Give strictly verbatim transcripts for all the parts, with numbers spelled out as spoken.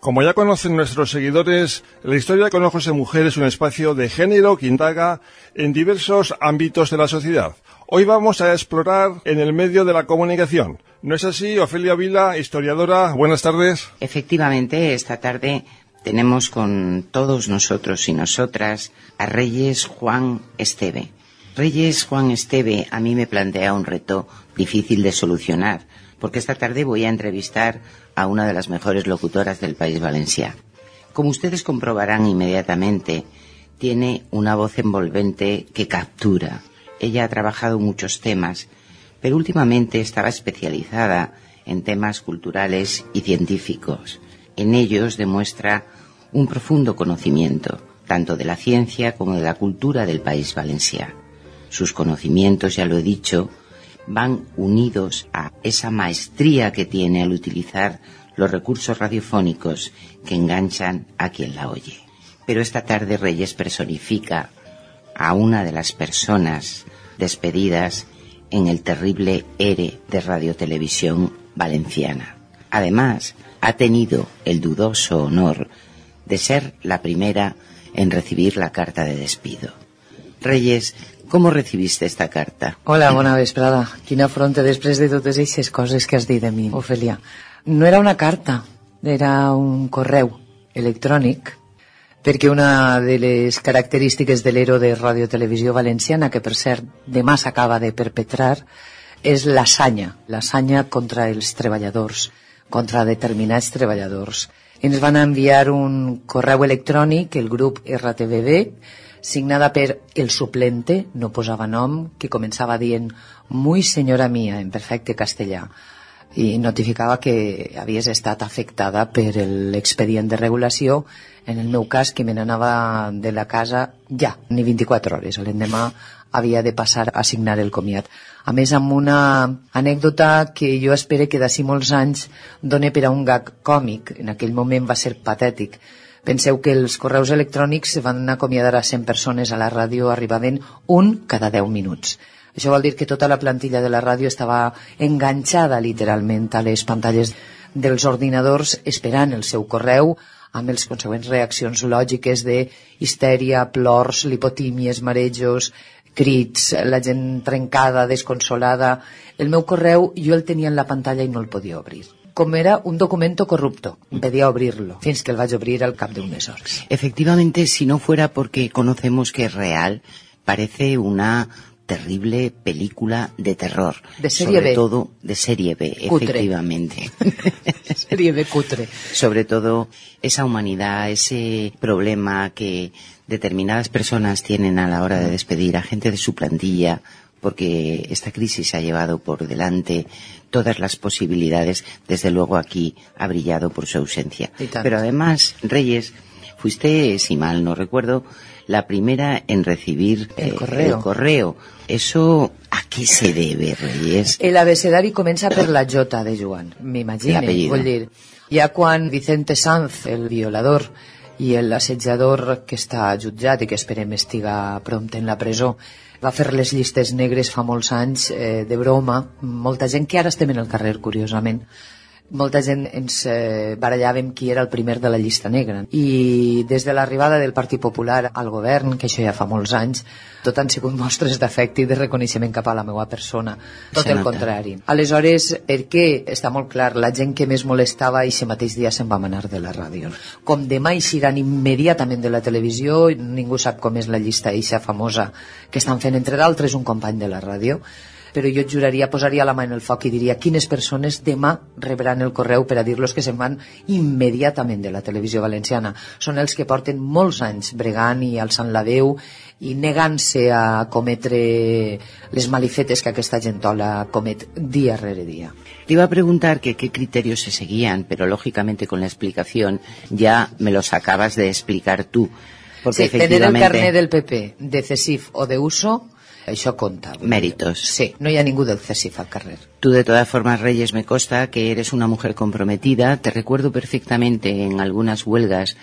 Como ya conocen nuestros seguidores, la historia con ojos de mujer es un espacio de género que indaga en diversos ámbitos de la sociedad. Hoy vamos a explorar en el medio de la comunicación. ¿No es así, Ofelia Vila, historiadora? Buenas tardes. Efectivamente, esta tarde tenemos con todos nosotros y nosotras a Reyes Juan Esteve. Reyes Juan Esteve a mí me plantea un reto difícil de solucionar, porque esta tarde voy a entrevistar a una de las mejores locutoras del País Valencià. Como ustedes comprobarán inmediatamente, tiene una voz envolvente que captura. Ella ha trabajado muchos temas, pero últimamente estaba especializada en temas culturales y científicos. En ellos demuestra un profundo conocimiento, tanto de la ciencia como de la cultura del País Valencià. Sus conocimientos, ya lo he dicho, van unidos a esa maestría que tiene al utilizar los recursos radiofónicos que enganchan a quien la oye. Pero esta tarde Reyes personifica a una de las personas despedidas en el terrible ERE de Radiotelevisión Valenciana. Además, ha tenido el dudoso honor de ser la primera en recibir la carta de despido. Reyes, com recibiste esta carta? Hola, bona vesprada. Quina afronta després de totes aquestes coses que has dit de mi, Ofelia. No era una carta, era un correu electrònic, perquè una de les característiques de l'Ero de Radiotelevisió Valenciana, que per cert demà s'acaba de perpetrar, és l'asanya, l'asanya contra els treballadors, contra determinats treballadors. Ens van enviar un correu electrònic, el grup R T V B, signada per el suplente, no posava nom, que començava dient «Muy senyora mía», en perfecte castellà, i notificava que havies estat afectada per l'expedient de regulació, en el meu cas, que me n'anava de la casa ja, ni vint-i-quatre hores. L'endemà havia de passar a signar el comiat. A més, amb una anècdota que jo espero que d'ací molts anys doni per a un gag còmic. En aquell moment va ser patètic. Penseu que els correus electrònics van acomiadar a cent persones a la ràdio, arribaven un cada deu minuts. Això vol dir que tota la plantilla de la ràdio estava enganxada literalment a les pantalles dels ordinadors esperant el seu correu, amb les consegüents reaccions lògiques de histèria, plors, lipotímies, marejos, crits, la gent trencada, desconsolada. El meu correu jo el tenia en la pantalla i no el podia obrir. Com era un documento corrupto, impedia abrirlo, fins que el vaig obrir al cap d'unes hores. Efectivamente, si no fuera porque conocemos que es real, parece una terrible película de terror. De serie sobre B. todo de serie B, Cutre. Efectivamente. Serie B cutre. Sobre todo esa humanidad, ese problema que determinadas personas tienen a la hora de despedir a gente de su plantilla, porque esta crisis ha llevado por delante todas las posibilidades. Desde luego aquí ha brillado por su ausencia. Pero además, Reyes, fuiste, si mal no recuerdo, la primera en recibir el, eh, correo. el correo. ¿Eso a qué se debe, Reyes? El abecedari comença per la J de Joan, m'imagine. Vull dir, ja quan Vicente Sanz, el violador, i l'assetjador que està jutjat i que esperem estiga prompte en la presó, va fer les llistes negres fa molts anys, eh, de broma, molta gent que ara estem en el carrer, curiosament, molta gent ens eh, barallàvem qui era el primer de la llista negra. I des de l'arribada del Partit Popular al govern, que això ja fa molts anys, tot han sigut mostres d'afecte i de reconeixement cap a la meva persona. Tot el contrari. Aleshores, perquè està molt clar, la gent que més molestava i ese mateix dia se'n va anar de la ràdio. Com demà eixiran immediatament de la televisió, ningú sap com és la llista eixa famosa que estan fent, entre d'altres, un company de la ràdio, però jo et juraria, posaria la mà en el foc i diria quines persones demà rebran el correu per a dir-los que se'n van immediatament de la televisió valenciana. Són els que porten molts anys bregant i alçant la veu i negant-se a cometre les malifetes que aquesta gentola comet dia rere dia. Te iba a preguntar que qué criterios se seguían, pero lógicamente con la explicación ya me los acabas de explicar tú. Porque sí, tener el carnet del P P de C E S I F o de uso, això compta. Méritos. Sí, no hi ha ningú del C E S I F al carrer. Tú, de todas formas, Reyes, me consta que eres una mujer comprometida. Te recuerdo perfectamente en algunas huelgas,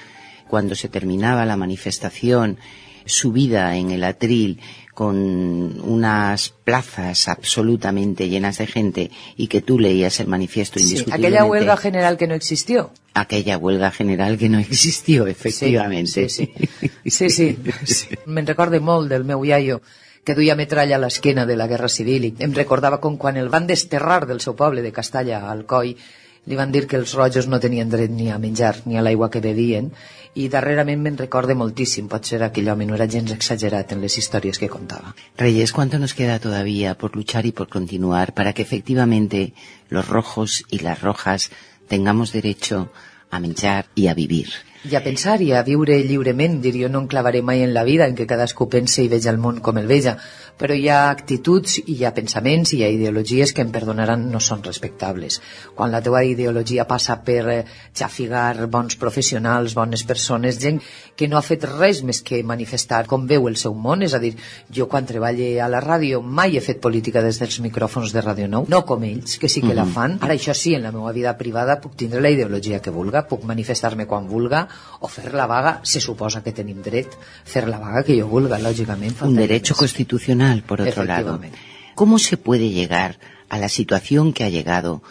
cuando se terminaba la manifestación, subida en el atril con unas plazas absolutamente llenas de gente y que tú leías el manifiesto indiscutiblemente. Sí, aquella huelga general que no existió. aquella huelga general que no existió, efectivamente. Sí, sí, sí. sí, sí. sí. Me'n recorde molt del meu iaio, que duia metralla a l'esquena de la Guerra Civil, i em recordava com quan el van desterrar del seu poble de Castalla al Coi, li van dir que els rojos no tenien dret ni a menjar ni a l'aigua que bevien, i darrerament me'n recorde moltíssim. Potser aquell home no era gens exagerat en les històries que contava. Reyes, ¿cuánto nos queda todavía por luchar y por continuar para que efectivamente los rojos y las rojas tengamos derecho a menjar i a vivir? I a pensar i a viure lliurement, dir, jo no em clavaré mai en la vida en què cadascú pense i veja el món com el veja, però hi ha actituds i hi ha pensaments i hi ha ideologies que em perdonaran no són respectables. Quan la teva ideologia passa per eh, xafigar bons professionals, bones persones, gent que no ha fet res més que manifestar com veu el seu món, és a dir, jo quan treballo a la ràdio mai he fet política des dels micròfons de Ràdio nou, no com ells, que sí que mm-hmm. la fan. Ara això sí, en la meva vida privada puc tindre la ideologia que vulga, puc manifestar-me quan vulga, o fer la vaga, se suposa que tenim dret, fer la vaga que yo vulga, lógicamente. Un derecho constitucional, por otro lado. ¿Cómo se puede llegar a la situación que ha llegado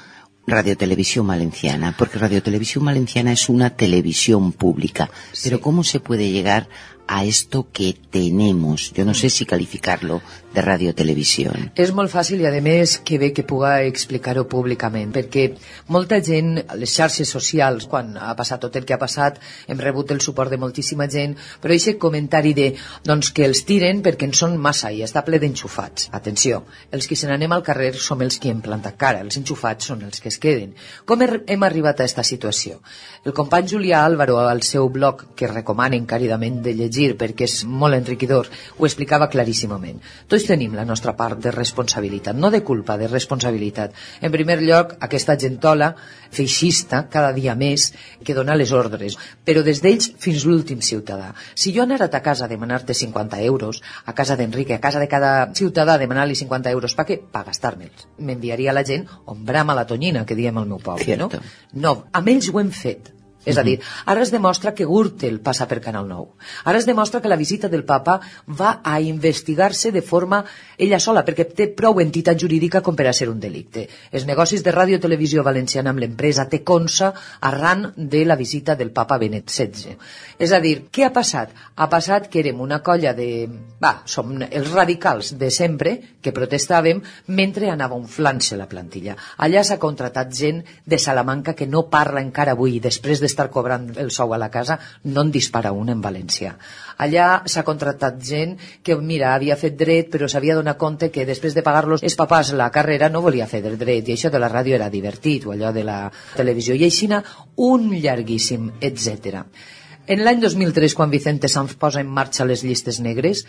Radio Televisión Valenciana? Porque Radio Televisión Valenciana es una televisión pública, sí. Pero ¿cómo se puede llegar a esto que tenemos? Yo no sé si calificarlo de radiotelevisión. És molt fàcil i, a més, que bé que puga explicar-ho públicament, perquè molta gent, a les xarxes socials, quan ha passat tot el que ha passat, hem rebut el suport de moltíssima gent, però aquest comentari de, doncs, que els tiren perquè en són massa i està ple d'enxufats. Atenció, els que se n'anem al carrer som els que hem plantat cara, els enxufats són els que es queden. Com hem arribat a aquesta situació? El company Julià Álvaro, al seu blog, que recomanen càridament de llegir perquè és molt enriquidor, ho explicava claríssimament. Tots tenim la nostra part de responsabilitat, no de culpa, de responsabilitat. En primer lloc, aquesta gentola feixista, cada dia més, que dona les ordres, però des d'ells fins l'últim ciutadà. Si jo anara a casa a demanar-te cinquanta euros, a casa d'Enrique, a casa de cada ciutadà a demanar-li cinquanta euros, per què? Per gastar-me'ls. M'enviaria la gent on brama la tonyina, que diem al meu poble, Cierto. no? No, amb ells ho hem fet. És a dir, ara es demostra que Gürtel passa per Canal nou. Ara es demostra que la visita del papa va a investigar-se de forma ella sola, perquè té prou entitat jurídica com per a ser un delicte. Els negocis de Ràdio Televisió Valenciana amb l'empresa té consa arran de la visita del papa Benet setze. És a dir, què ha passat? Ha passat que érem una colla de... Va, som els radicals de sempre que protestàvem mentre anava inflant-se la plantilla. Allà s'ha contratat gent de Salamanca que no parla encara avui, després de estar cobrant el sou a la casa, no en dispara un en valencià. Allà s'ha contractat gent que, mira, havia fet dret, però s'havia donat compte que després de pagar-los els papàs la carrera no volia fer del dret, i això de la ràdio era divertit, o allò de la televisió, i així un llarguíssim, etcètera. En l'any dos mil tres, quan Vicente Sanz posa en marxa les llistes negres,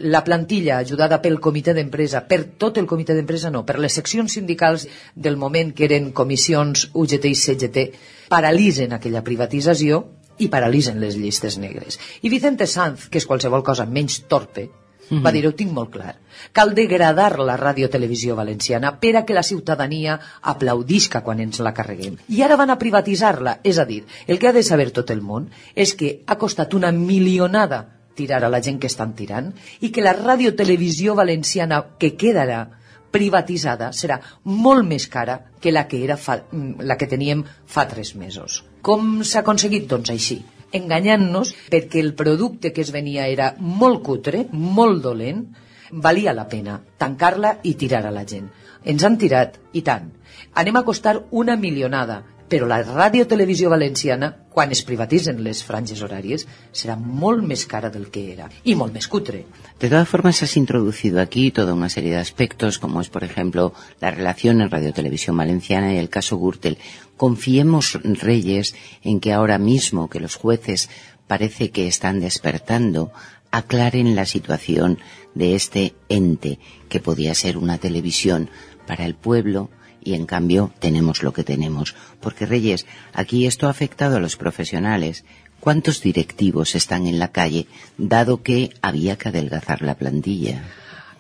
la plantilla, ajudada pel comitè d'empresa, per tot el comitè d'empresa no, per les seccions sindicals del moment, que eren comissions U G T i C G T, paralitzen aquella privatització i paralitzen les llistes negres. I Vicente Sanz, que és qualsevol cosa menys torpe, mm-hmm. va dir, ho tinc molt clar, cal degradar la radiotelevisió valenciana per a que la ciutadania aplaudisca quan ens la carreguem. I ara van a privatitzar-la, és a dir, el que ha de saber tot el món és que ha costat una milionada tirar a la gent que estan tirant i que la radiotelevisió valenciana que quedarà privatitzada serà molt més cara que la que, era fa, la que teníem fa tres mesos. Com s'ha aconseguit? Doncs així, enganyant-nos, perquè el producte que es venia era molt cutre, molt dolent, valia la pena tancar-la i tirar a la gent. Ens han tirat, i tant. Anem a costar una milionada, però la radiotelevisió valenciana, quan es privatitzen les franges horàries, será molt més cara del que era, y molt més cutre. De todas formas, has introducido aquí toda una serie de aspectos, como es, por ejemplo, la relación en Radio Televisión Valenciana y el caso Gürtel. Confiemos, Reyes, en que ahora mismo que los jueces parece que están despertando, aclaren la situación de este ente que podía ser una televisión para el pueblo, y en cambio tenemos lo que tenemos. Porque, Reyes, aquí esto ha afectado a los profesionales. ¿Cuántos directivos están en la calle, dado que había que adelgazar la plantilla?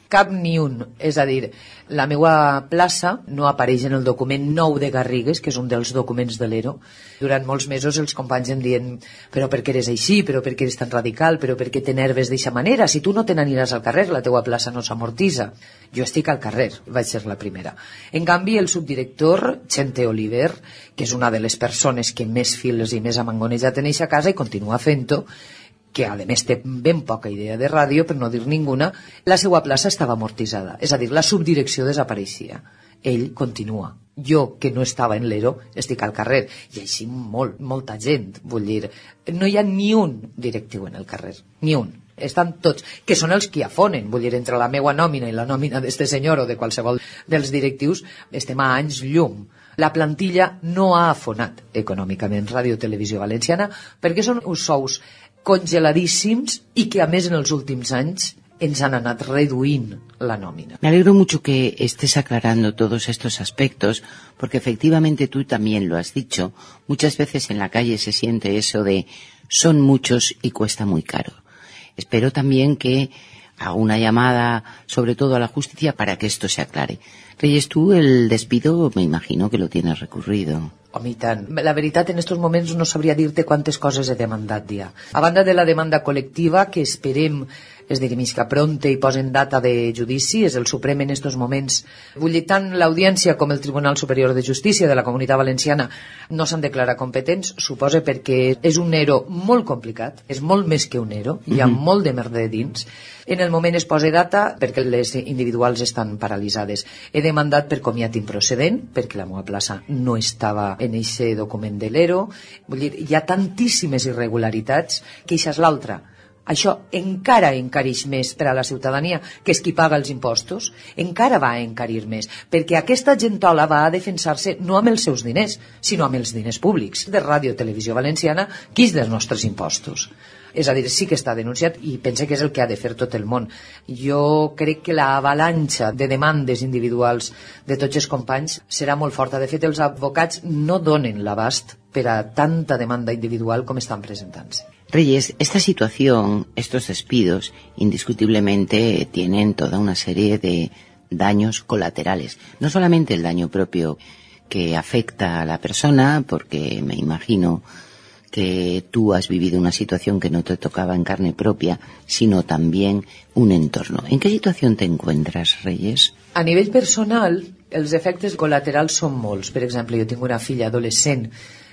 Cap ni un. És a dir, la meva plaça no apareix en el document nou de Garrigues, que és un dels documents de l'E R O. Durant molts mesos els companys em diuen però per què eres així, però per què eres tan radical, però per què t'enerves d'eixa manera, si tu no te n'aniràs al carrer, la teua plaça no s'amortitza. Jo estic al carrer, vaig ser la primera. En canvi, el subdirector, Chente Oliver, que és una de les persones que més fils i més ha mangonejat en eixa casa i continua fent-ho, que a més té ben poca idea de ràdio, per no dir ninguna, la seva plaça estava amortitzada. És a dir, la subdirecció desapareixia. Ell continua. Jo, que no estava en l'E R O, estic al carrer. I així molt, molta gent. Vull dir, no hi ha ni un directiu en el carrer. Ni un. Estan tots, que són els que afonen. Vull dir, entre la meua nòmina i la nòmina d'este senyor o de qualsevol dels directius, estem a anys llum. La plantilla no ha afonat econòmicament Ràdio Televisió Valenciana perquè són uns sous congeladíssims y que a més en els últims anys ens han anat reduint la nómina. Me alegro mucho que estés aclarando todos estos aspectos, porque efectivamente tú también lo has dicho, muchas veces en la calle se siente eso de son muchos y cuesta muy caro. Espero también que haga una llamada, sobre todo a la justicia, para que esto se aclare. Reyes, tú el despido me imagino que lo tienes recurrido. Home, i tant. La veritat, en estos moments no sabria dir-te quantes coses he demandat ja. A banda de la demanda col·lectiva, que esperem es digui misca pronte i posen data de judici, és el Suprem en estos moments. Vull dir, tant l'Audiència com el Tribunal Superior de Justícia de la Comunitat Valenciana no s'han declarat competents, suposa perquè és un E R O molt complicat, és molt més que un E R O, hi ha mm-hmm. molt de merder dins. En el moment es posa data perquè les individuals estan paralitzades. He demandat per comiat improcedent, perquè la meva plaça no estava en aquest document de l'E R O. Vull dir, hi ha tantíssimes irregularitats que això és l'altra. Això encara encareix més per a la ciutadania, que és qui paga els impostos, encara va a encarir més, perquè aquesta gentola va a defensar-se no amb els seus diners, sinó amb els diners públics de Ràdio Televisió Valenciana, que és dels nostres impostos. És a dir, sí que està denunciat i pense que és el que ha de fer tot el món. Jo crec que l'avalanxa de demandes individuals de tots els companys serà molt forta. De fet, els advocats no donen l'abast per a tanta demanda individual com estan presentant-se. Reyes, esta situación, estos despidos, indiscutiblemente tienen toda una serie de daños colaterales. No solamente el daño propio que afecta a la persona, porque me imagino que tú has vivido una situación que no te tocaba en carne propia, sino también un entorno. ¿En qué situación te encuentras, Reyes? A nivell personal, els efectes col·laterals són molts. Per exemple, jo tinc una filla adolescent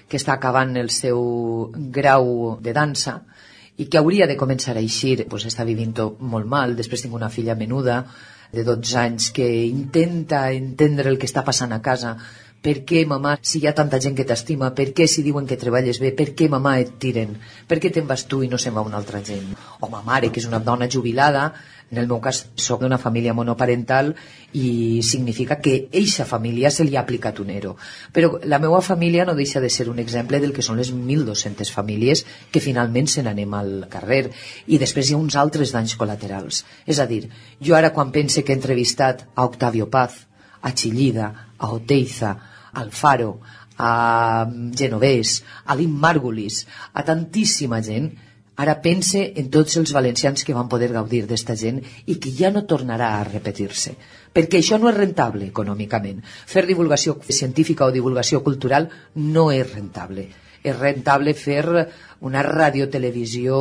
que està acabant el seu grau de dansa i que hauria de començar a eixir, pues està vivint-ho molt mal. Després tinc una filla menuda de dotze anys que intenta entendre el que està passant a casa. Per què, mamà, si hi ha tanta gent que t'estima, per què si diuen que treballes bé, per què, mamà, et tiren? Per què te'n vas tu i no se'n va una altra gent? O ma mare, que és una dona jubilada, en el meu cas soc d'una família monoparental i significa que eixa família se li ha aplicat un E R O. Però la meva família no deixa de ser un exemple del que són les mil dos-centes famílies que finalment se n'anem al carrer. I després hi ha uns altres danys col·laterals. És a dir, jo ara quan pense que he entrevistat a Octavio Paz, a Chillida, a Oteiza, al Faro, a Genovés, a Lynn Margulis, a tantíssima gent, ara pense en tots els valencians que van poder gaudir d'esta gent i que ja no tornarà a repetir-se. Perquè això no és rentable econòmicament. Fer divulgació científica o divulgació cultural no és rentable. És rentable fer una radiotelevisió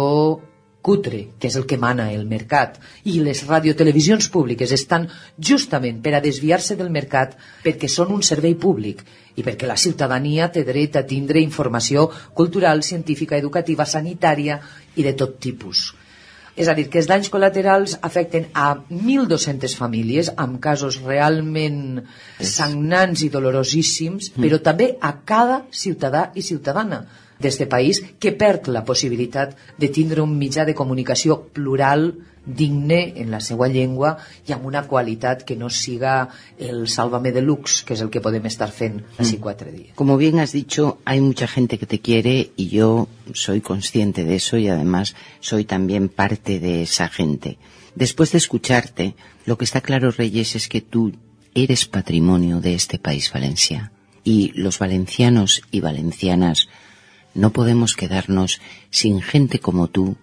cutre, que és el que mana el mercat, i les radiotelevisions públiques estan justament per a desviar-se del mercat perquè són un servei públic i perquè la ciutadania té dret a tindre informació cultural, científica, educativa, sanitària i de tot tipus. És a dir, que els danys col·laterals afecten a mil dos-centes famílies amb casos realment sagnants i dolorosíssims, però també a cada ciutadà i ciutadana d'este país que perd la possibilitat de tindre un mitjà de comunicació plural, digne en la seva llengua i amb una qualitat que no siga el Sálvame Deluxe, que es el que podem estar fent así cuatro días. Como bien has dicho, hay mucha gente que te quiere y yo soy consciente de eso y además soy también parte de esa gente. Después de escucharte, lo que está claro, Reyes, es que tú eres patrimonio de este país, Valencia, y los valencianos y valencianas no podemos quedarnos sin gente como tú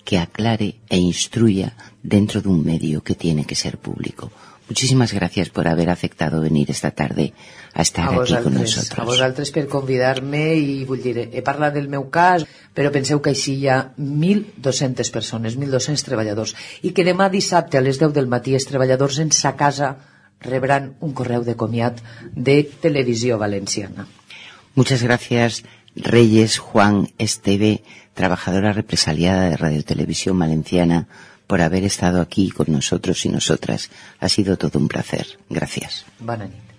que aclare e instruya dentro de un medio que tiene que ser público. Muchísimas gracias por haber aceptado venir esta tarde a estar a aquí con nosaltres, nosotros. A vosaltres per convidar-me i vull dir, he parlat del meu cas, però penseu que així hi ha mil dos-centes persones, mil dos-cents treballadors, i que demà dissabte a les deu del matí els treballadors en sa casa rebran un correu de comiat de Televisió Valenciana. Muchas gracias, Reyes Juan Esteve, trabajadora represaliada de Radio Televisión Valenciana, por haber estado aquí con nosotros y nosotras. Ha sido todo un placer. Gracias. Bona nit.